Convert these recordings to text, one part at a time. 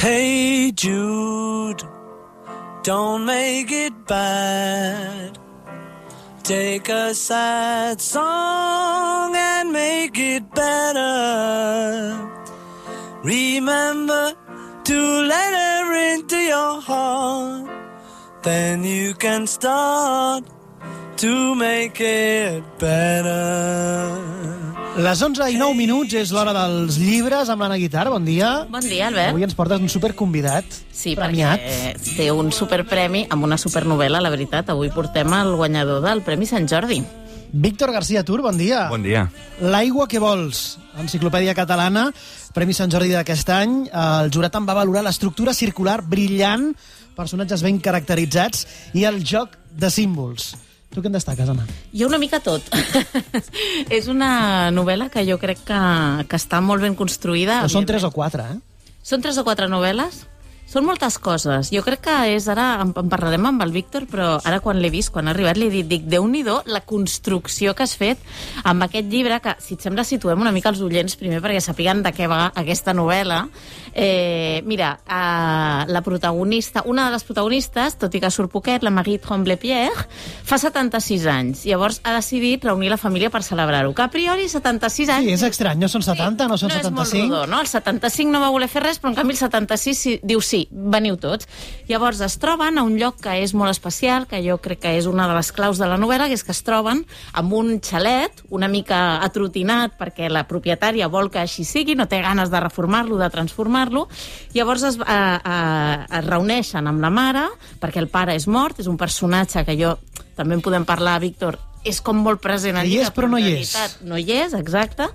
Hey Jude, don't make it bad. Take a sad song and make it better. Remember to let her into your heart. Then you can start to make it better. Les 11:09 és l'hora dels llibres amb l'Anna Guitar. Bon dia. Bon dia, Albert. Avui ens portes un superconvidat. Sí, premiat. perquè té un superpremi amb una supernovel·la, la veritat. Avui portem el guanyador del Premi Sant Jordi. Víctor García Tur, bon dia. Bon dia. L'aigua que vols, enciclopèdia catalana, Premi Sant Jordi d'aquest any. El jurat en va valorar l'estructura circular brillant, personatges ben caracteritzats i el joc de símbols. Tu què en destaques, Anna? Jo una mica tot. És una novel·la que jo crec que està molt ben construïda. Però són 3 o 4, eh? Són 3 o 4 novel·les? Són moltes coses. Jo crec que és ara, en parlarem amb el Víctor, però ara quan l'he vist, quan ha arribat, li he dit, dic, Déu-n'hi-do la construcció que has fet amb aquest llibre, que, si et sembla, situem una mica els oients primer perquè sapiguen de què va aquesta novel·la. Mira, la protagonista, una de les protagonistes, tot i que surt poquet, la Marie Tremblay-Pierre, fa 76 anys. Llavors ha decidit reunir la família per celebrar-ho. Que a priori 76 anys... Sí, és estrany, no són 70, no són 75. No és molt rodó, no? El 75 no va voler fer res, però en canvi el 76 diu sí, veniu tots. Llavors es troben a un lloc que és molt especial, que jo crec que és una de les claus de la novel·la, que és que es troben amb un xalet una mica atrotinat perquè la propietària vol que així sigui, no té ganes de reformar-lo, de transformar-lo. Llavors es reuneixen amb la mare perquè el pare és mort, és un personatge que jo també en podem parlar, Víctor, és com molt present al llibre. Hi és, però no hi és. No hi és, exacte.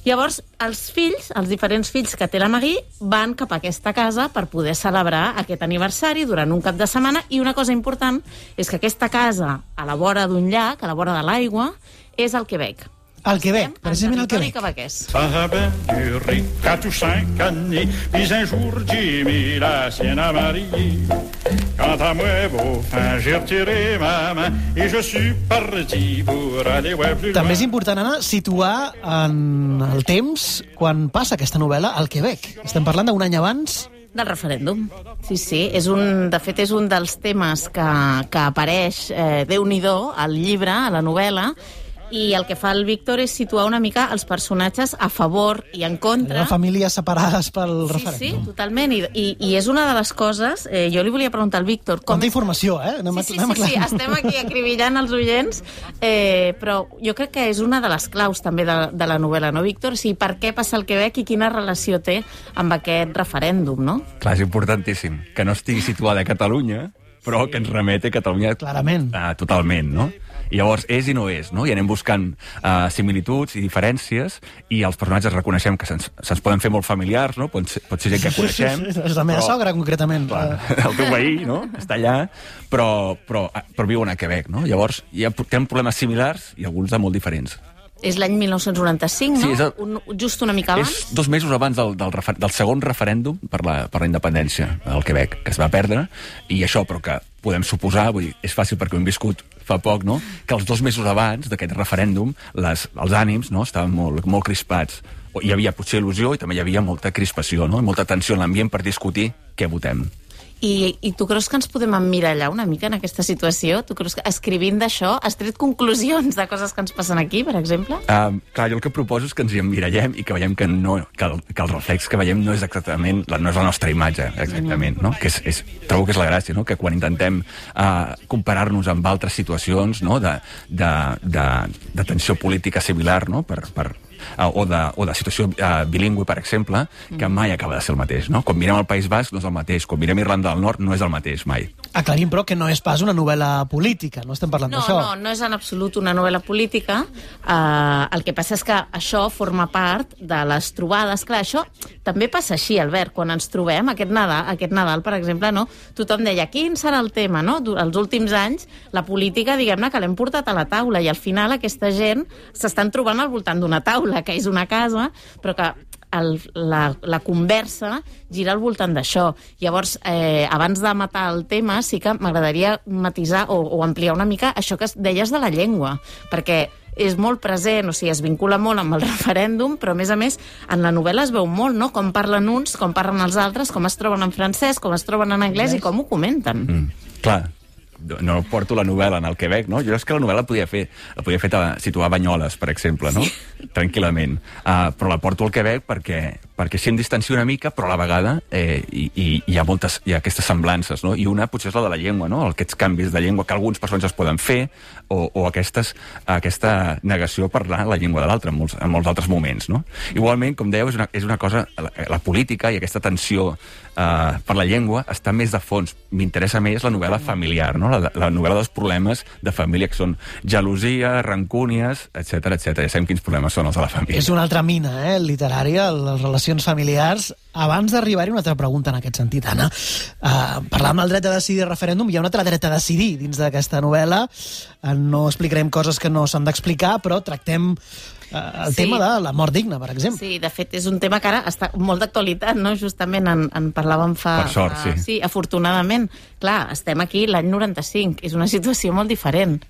Llavors, els fills, els diferents fills que té la Marie, van cap a aquesta casa per poder celebrar aquest aniversari durant un cap de setmana, i una cosa important és que aquesta casa, a la vora d'un llac, a la vora de l'aigua, és al Quebec. Al Quebec, precisament al Quebec. Sabem du riz à tous 5 années, puis un jour Jimmy la sienne a marié. Quant à moi, beau fin, j'ai retiré ma main et je suis parti pour aller voir plus loin. També és important, Anna, situar en el temps quan passa aquesta novel·la al Quebec. Estem parlant d'un any abans del referèndum. Sí. De fet, és un dels temes que apareix, Déu-n'hi-do, al llibre, a la novel·la, i el que fa el Víctor és situar una mica els personatges a favor i en contra. Les famílies separades pel referèndum. Sí, totalment. I és una de les coses... jo li volia preguntar al Víctor... Quanta informació, eh? Sí, estem aquí acribillant els oients, però jo crec que és una de les claus també de la novel·la, no, Víctor? Sí, per què passa al Quebec i quina relació té amb aquest referèndum, no? Clar, és importantíssim que no estigui situada a Catalunya, però que ens remete a Catalunya clarament. Totalment, no? I llavors és i no és, no? I anem buscant similituds i diferències, i els personatges reconeixem que se'ns poden fer molt familiars, no? Pot ser gent que coneixem. És la meva sogra, concretament. Clar, el teu veí, no? Està allà, però viuen a Quebec, no? Llavors ja tenen problemes similars i alguns de molt diferents. És l'any 1995, no? Sí, just una mica abans. És 2 mesos abans del segon referèndum per la independència del Quebec, que es va perdre, i això, però que podem suposar, vull dir, és fàcil perquè ho hem viscut fa poc, no?, que els 2 mesos abans d'aquest referèndum els ànims, no?, estaven molt crispats. Hi havia potser il·lusió i també hi havia molta crispació, no?, molta tensió en l'ambient per discutir què votem. I tu creus que ens podem emmirallar una mica en aquesta situació? Tu creus que escrivint d'això has tret conclusions de coses que ens passen aquí, per exemple? Clar, jo el que proposo és que ens hi emmirallem i que veiem que el reflex que veiem no és exactament, no és la nostra imatge, exactament, no? Trobo que és la gràcia, no?, que quan intentem comparar-nos amb altres situacions, no?, de tensió política similar, no?, o de situació bilingüe, per exemple, que mai acaba de ser el mateix, no? Quan mirem el País Basc no és el mateix, quan mirem Irlanda del Nord no és el mateix, mai. Aclarim, però, que no és pas una novel·la política, no estem parlant d'això. No és en absolut una novel·la política. El que passa és que això forma part de les trobades. Clar, això també passa així, Albert, quan ens trobem aquest Nadal, per exemple, no? Tothom deia, quin serà el tema, no? Els últims anys, la política, diguem-ne, que l'hem portat a la taula, i al final aquesta gent s'estan trobant al voltant d'una taula, que és una casa, però que la conversa gira al voltant d'això. Llavors, abans de matar el tema, sí que m'agradaria matisar o ampliar una mica això que deies de la llengua, perquè és molt present, o sigui, es vincula molt amb el referèndum, però a més, en la novel·la es veu molt, no?, com parlen uns, com parlen els altres, com es troben en francès, com es troben en anglès i com ho comenten. Clar, no porto la novel·la en el Quebec, no? Jo és que la novel·la la podia fer situar a Banyoles, per exemple, no? Tranquil·lament. Però la porto al Quebec perquè així em distancio una mica, però a la vegada hi ha aquestes semblances, no? I una potser és la de la llengua, no? Aquests canvis de llengua que alguns personatges poden fer, o aquesta negació a parlar la llengua de l'altre en molts altres moments, no? Igualment, com dèieu, és una cosa, la política i aquesta tensió per la llengua està més de fons. M'interessa més la novel·la familiar, no? La novel·la dels problemes de família, que són gelosia, rancúnies, etc. Ja sabem quins problemes són els de la família. És una altra mina, literària, les relacions familiars. Abans d'arribar-hi, una altra pregunta en aquest sentit, Anna. Parlàvem del dret a decidir el referèndum, hi ha un altre dret a decidir dins d'aquesta novel·la. No explicarem coses que no s'han d'explicar, però tractem el tema de la mort digna, per exemple. Sí, de fet, és un tema que ara està molt d'actualitat, no? Justament en parlàvem fa... Per sort, sí. Sí, afortunadament. Clar, estem aquí l'any 95, és una situació molt diferent.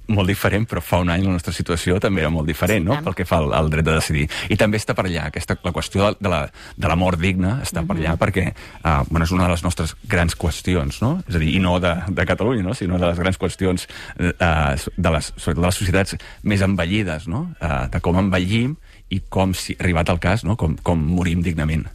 Molt diferent, però fa un any la nostra situació també era molt diferent, no?, pel que fa al dret de decidir. I també està per allà, la qüestió de la mort digna està per allà perquè és una de les nostres grans qüestions, no? És a dir, i no de Catalunya, no?, sinó de les grans qüestions sobretot de les societats més envellides, no?, de com envellim i com, si arribat al cas, no?, com morim dignament.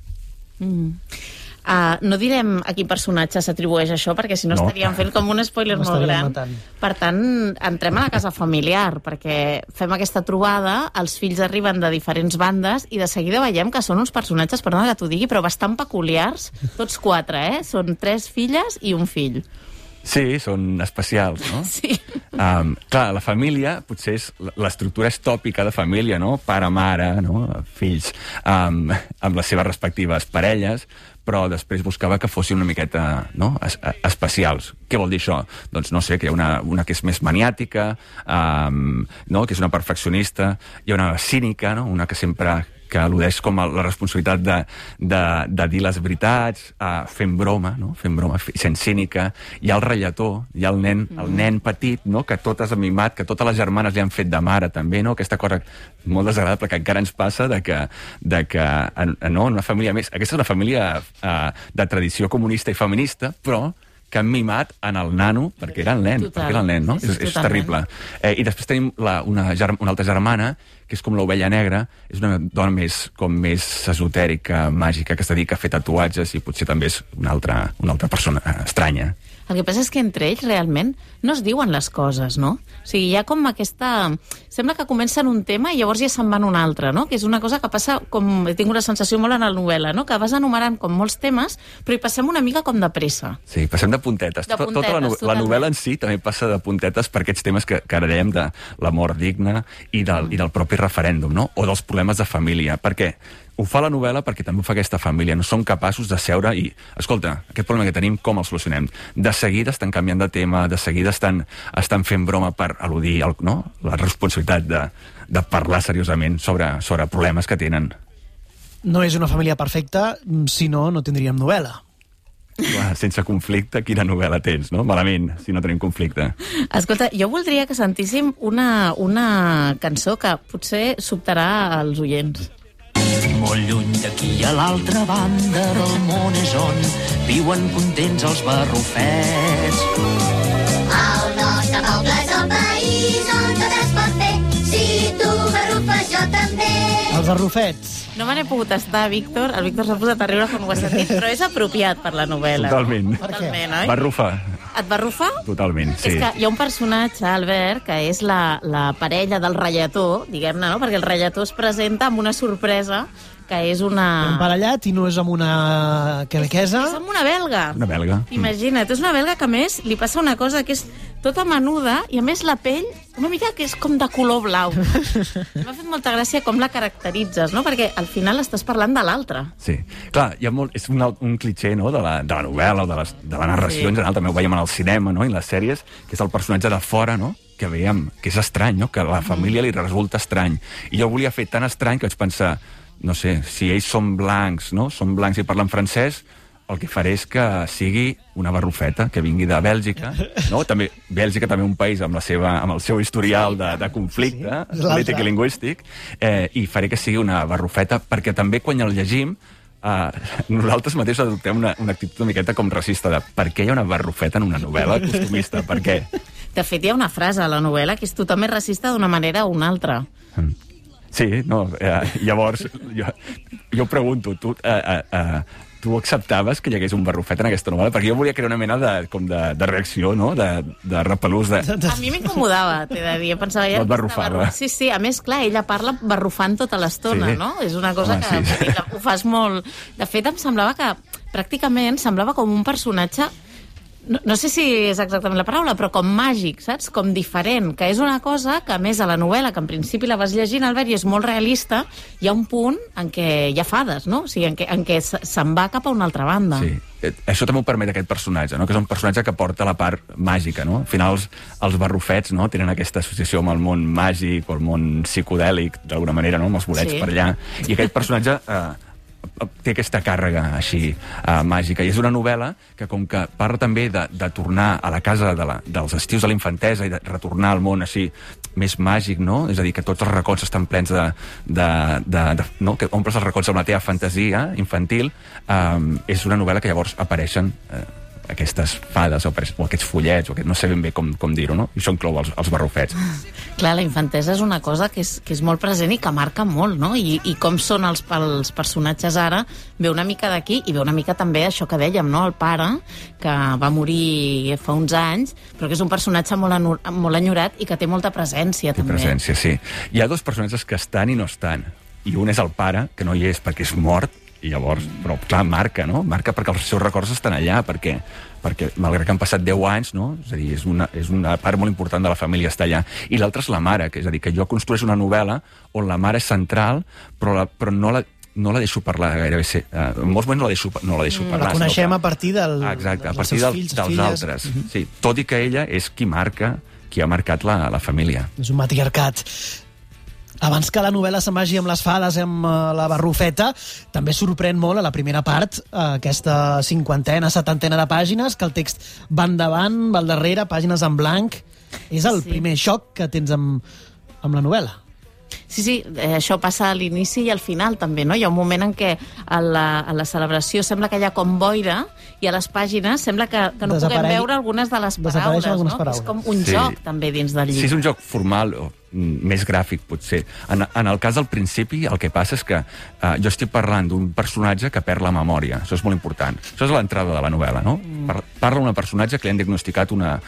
No direm a quin personatge s'atribueix això, perquè si no estaríem fent com un spoiler molt gran. Per tant, entrem a la casa familiar, perquè fem aquesta trobada, els fills arriben de diferents bandes i de seguida veiem que són uns personatges, perdona que t'ho digui, però bastant peculiars, tots 4, són 3 filles i un fill. Sí, són especials, no? Sí. Clar, la família, potser l'estructura és tòpica de família, no? Pare, mare, no? Fills, amb les seves respectives parelles, però després buscava que fossin una miqueta, no?, especials. Què vol dir això? Doncs no sé, que hi ha una que és més maniàtica, no?, que és una perfeccionista, hi ha una cínica, no?, una que sempre que al·ludeix com a la responsabilitat de dir les veritats, fent broma, no?, sent cínica. Hi ha el rallator, hi ha el nen petit, no?, que tot és mimat, que totes les germanes li han fet de mare, també, no?, aquesta cosa molt desagradable que encara ens passa de que no, una família més... Aquesta és una família de tradició comunista i feminista, però que han mimat en el nano, perquè era el nen, no? És terrible. I després tenim una altra germana, que és com l'ovella negra, és una dona més esotèrica, màgica, que es dedica a fer tatuatges i potser també és una altra persona estranya. El que passa és que entre ells realment no es diuen les coses, no? O sigui, hi ha com aquesta... Sembla que comencen un tema i llavors ja se'n van un altre, no? Que és una cosa que passa com... He tingut una sensació molt en la novel·la, no? Que vas enumerant com molts temes, però hi passem una mica com de pressa. Sí, passem de puntetes. Tota la novel·la en si també passa de puntetes per aquests temes que ara dèiem de la mort digna i del propi referèndum, no? O dels problemes de família. Per què? Ho fa la novel·la perquè també ho fa aquesta família. No som capaços de seure i... Escolta, aquest problema que tenim, com el solucionem? De seguida estan canviant de tema, de seguida estan fent broma per al·ludir la responsabilitat de parlar seriosament sobre problemes que tenen. No és una família perfecta, si no tindríem novel·la. Clar, sense conflicte, quina novel·la tens, no? Malament, si no tenim conflicte. Escolta, jo voldria que sentíssim una cançó que potser sobtarà als oients. Molt lluny d'aquí a l'altra banda del món és on viuen contents els barrufets. El nostre poble és el país on tot es pot fer. Si tu barrufes, jo també. Els barrufets. No me n'he pogut estar, Víctor. El Víctor s'ha posat a riure quan ho ha sentit, però és apropiat per la novel·la. Totalment. Totalment, oi? Barrufa. Et va rufar? Totalment, sí. És que hi ha un personatge, Albert, que és la parella del rallator, diguem-ne, no? Perquè el rallator es presenta amb una sorpresa que és una... Emparellat i no és amb una quebequesa. És amb una belga. Una belga. Imagina't, és una belga que a més li passa una cosa que és tota menuda i a més la pell una mica que és com de color blau. M'ha fet molta gràcia com la caracteritzes, no? Perquè al final estàs parlant de l'altre. Sí. Clar, hi ha és un clitxer, no?, de la novel·la o de la narració en general, també ho veiem en el cinema, no?, i en les sèries, que és el personatge de fora, no?, que veiem, que és estrany, no?, que a la família li resulta estrany. I jo volia fer tan estrany que vaig pensar, no sé, si ells són blancs, no?, són blancs i parlen francès, el que faré és que sigui una barrufeta, que vingui de Bèlgica, no? També, Bèlgica també un país amb el seu historial de conflicte polític i lingüístic, i faré que sigui una barrufeta, perquè també quan el llegim, nosaltres mateixos adoptem una actitud una miqueta com racista de per què hi ha una barrufeta en una novel·la costumista, per què? De fet, hi ha una frase a la novel·la que és tothom és racista d'una manera o una altra. Sí, no, llavors jo pregunto, tu acceptaves que hi hagués un barrufet en aquesta novel·la? Perquè jo volia crear una mena de reacció, no? De repelús. A mi m'incomodava, t'he de dir. Pensava, no et barrufava. Sí, a més, clar, ella parla barrufant tota l'estona, no? És una cosa que ho fas molt... De fet, em semblava que pràcticament semblava com un personatge... No sé si és exactament la paraula, però com màgic, saps? Com diferent, que és una cosa que, a més, a la novel·la, que en principi la vas llegint, Albert, i és molt realista, hi ha un punt en què hi ha fades, no? O sigui, en què se'n va cap a una altra banda. Sí. Això també ho permet aquest personatge, no? Que és un personatge que porta la part màgica, no? Al final, els barrufets, no? Tenen aquesta associació amb el món màgic o el món psicodèlic, d'alguna manera, no? Amb els bolets per allà. I aquest personatge... té aquesta càrrega així màgica, i és una novel·la que com que parla també de tornar a la casa dels estius de la infantesa i de retornar al món així més màgic, no? És a dir, que tots els racons estan plens no? Que omples els racons amb la teva fantasia infantil. És una novel·la que llavors apareixen aquestes fades o aquests follets, no sé ben bé com dir-ho, no? I això inclou els barrufets. Clar, la infantesa és una cosa que és molt present i que marca molt, no? I com són els personatges ara, ve una mica d'aquí i ve una mica també això que dèiem, no? El pare, que va morir fa uns anys, però que és un personatge molt enyorat i que té molta presència, també. Té presència, sí. Hi ha dos personatges que estan i no estan. I un és el pare, que no hi és perquè és mort, i llavors, però clar, marca, no? Marca perquè els seus records estan allà, perquè malgrat que han passat 10 anys, no? És a dir, és una part molt important de la família està allà. I l'altra és la mare, que és a dir, que jo construeixo una novel·la on la mare és central, però no la deixo parlar gairebé. En molts moments no la deixo parlar. La coneixem a partir exacte, a partir dels altres. Sí, tot i que ella és qui ha marcat la família. És un matriarcat. Abans que la novel·la se'n vagi amb les fades, amb la barrufeta, també sorprèn molt a la primera part, aquesta 50ena, 70ena de pàgines, que el text va endavant, va al darrere, pàgines en blanc. És el primer xoc que tens amb la novel·la. Sí, això passa a l'inici i al final també, no? Hi ha un moment en què a la celebració sembla que hi ha com boira i a les pàgines sembla que no puguem veure algunes de les paraules, no? És com un joc també dins del llibre. Sí, és un joc formal o més gràfic, potser. En el cas del principi, el que passa és que jo estic parlant d'un personatge que perd la memòria. Això és molt important. Això és l'entrada de la novel·la, no? Parla d'un personatge que li han diagnosticat una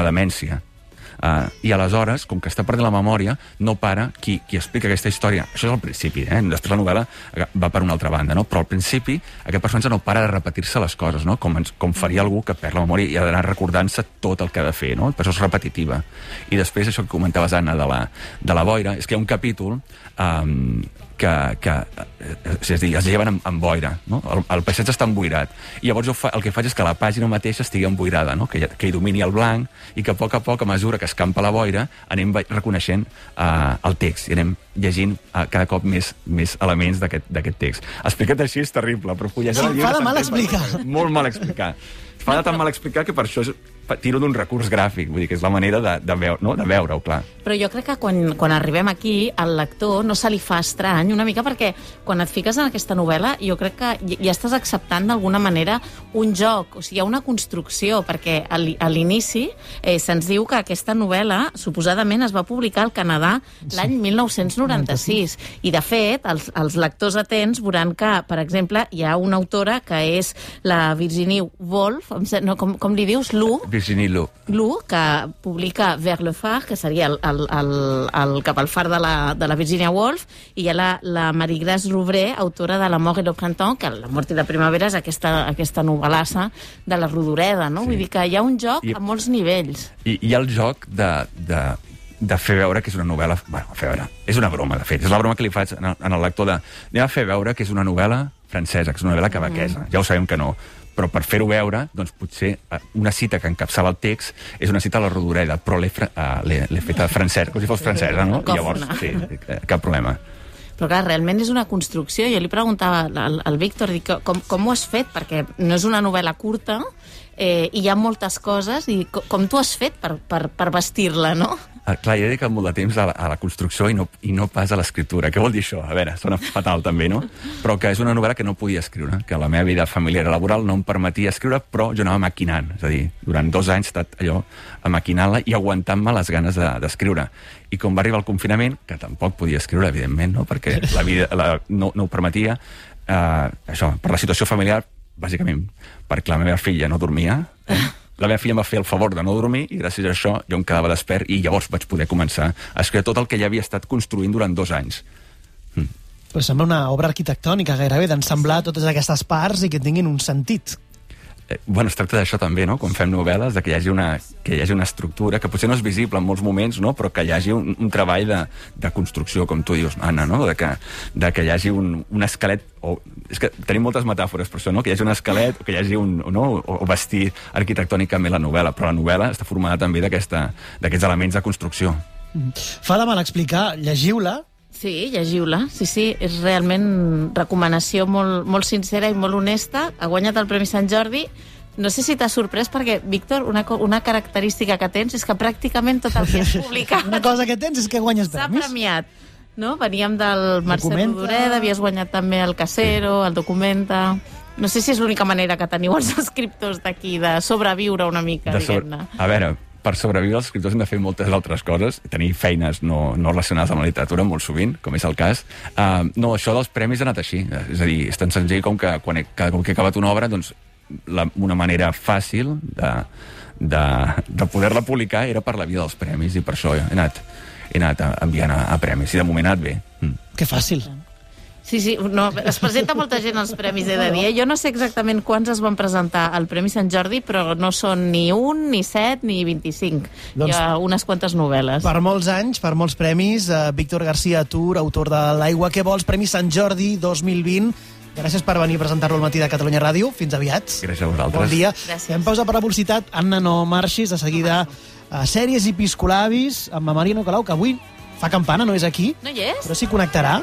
demència. I aleshores, com que està perdent la memòria, no para qui explica aquesta història. Això és al principi, després la novel·la va per una altra banda, no? Però al principi aquest personatge no para de repetir-se les coses, no? Com faria algú que perd la memòria i ha d'anar recordant-se tot el que ha de fer, no? Per això és repetitiva. I després, això que comentaves, Anna, de la boira, és que hi ha un capítol és a dir, es lleven amb boira, no? El paisatge està emboirat, i llavors el que faig és que la pàgina mateixa estigui emboirada, no? Que hi domini el blanc, i que a poc, a mesura que escampa la boira, anem reconeixent el text, i anem llegint cada cop més elements d'aquest text. Explicat així és terrible, però fullejar el llibre... Fa de mal explicar. Molt mal explicar. Fa de tan mal explicar que per això tiro d'un recurs gràfic, vull dir que és la manera de veure-ho, clar. Però jo crec que quan arribem aquí, al lector no se li fa estrany, una mica perquè quan et fiques en aquesta novel·la, jo crec que ja estàs acceptant d'alguna manera un joc, o sigui, hi ha una construcció, perquè a l'inici se'ns diu que aquesta novel·la suposadament es va publicar al Canadà l'any 1996, i de fet, els lectors atents veuran que, per exemple, hi ha una autora que és la Virginie Woolf, no, com li dius? Virginie Lu, que publica Vers le phare, que seria el cap al far de la Virginia Woolf, i hi ha la Marie-Grace Rouvré, autora de La mort et le printemps, que La mort i la primavera és aquesta novel·lassa de la Rodoreda, no? Vull dir que hi ha un joc a molts nivells. I hi ha el joc de fer veure que és una novel·la... Bueno, fer veure, és una broma, de fet. És la broma que li faig al lector anem a fer veure que és una novel·la francesa, que és una novel·la quebequesa. Ja ho sabem que no. Però per fer-ho veure, doncs potser una cita que encapçava el text és una cita a la Rodoreda, però l'he feta francesa, com si fos francesa, no? I llavors, sí, cap problema. Però clar, realment és una construcció. Jo li preguntava al Víctor, dic, com ho has fet? Perquè no és una novel·la curta, i hi ha moltes coses, i com tu has fet per vestir-la, no? Clar, jo he dedicat molt de temps a la construcció i no pas a l'escriptura. Què vol dir això? A veure, sona fatal també, no? Però que és una novel·la que no podia escriure, que la meva vida familiar i laboral no em permetia escriure, però jo anava maquinant. És a dir, durant 2 anys he estat allò maquinant-la i aguantant-me les ganes d'escriure. I com va arribar el confinament, que tampoc podia escriure, evidentment, no? Perquè la vida no ho permetia, això, per la situació familiar, bàsicament perquè la meva filla no dormia, la meva filla em va fer el favor de no dormir i gràcies a això jo em quedava despert i llavors vaig poder començar a escriure tot el que ja havia estat construint durant 2 anys. Però sembla una obra arquitectònica gairebé, d'ensemblar totes aquestes parts i que tinguin un sentit. Bueno, es tracta d'això també, no? Quan fem novel·les, de que hi hagi una estructura que potser no és visible en molts moments, no? Però que hi hagi un treball de construcció, com tu dius, Anna, no? De que hi hagi un esquelet, és que tenim moltes metàfores per això, no? Que hi hagi un esquelet, o que hi hagi o vestir arquitectònicament la novel·la, però la novel·la està formada també d'aquests elements de construcció. Fa de mal explicar, llegiu-la. Sí, llegiu-la. Sí, és realment recomanació molt sincera i molt honesta. Ha guanyat el Premi Sant Jordi. No sé si t'ha sorprès perquè, Víctor, una característica que tens és que pràcticament tot el que has publicat... Una cosa que tens és que guanyes premis. S'ha premiat. No? Veníem del Mercè Rodoreda, havies guanyat també el Casero, el Documenta... No sé si és l'única manera que teniu els escriptors d'aquí de sobreviure una mica, diguem-ne. A veure, per sobreviure els escriptors hem de fer moltes altres coses, tenir feines no relacionades amb la literatura, molt sovint, com és el cas. No, això dels premis ha anat així. És a dir, és tan senzill com que quan he acabat una obra, doncs una manera fàcil de poder-la publicar era per la via dels premis, i per això he anat enviant a premis, i de moment ha anat bé. Que fàcil. Sí, no, es presenta molta gent als premis, he de dir. Jo no sé exactament quants es van presentar al Premi Sant Jordi, però no són ni 1, ni 7, ni 25. Doncs, hi ha unes quantes novel·les. Per molts anys, per molts premis, Víctor García Tur, autor de L'aigua que vols, Premi Sant Jordi 2020. Gràcies per venir a presentar-lo al Matí de Catalunya Ràdio. Fins aviat. Gràcies a vosaltres. Bon dia. Gràcies. Fem pausa per la publicitat. Anna, no marxis. De seguida, sèries i piscolabis amb la Maria Nicolau, que avui fa campana, no és aquí. No hi és? Però s'hi connectarà.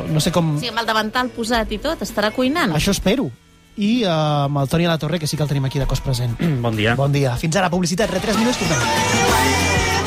No sé com... Sí, amb el davantal posat i tot, estarà cuinant. Això espero. I amb el Toni a la Torre, que sí que el tenim aquí de cos present. Bon dia. Bon dia. Fins ara, publicitat. 3 minuts, tornem.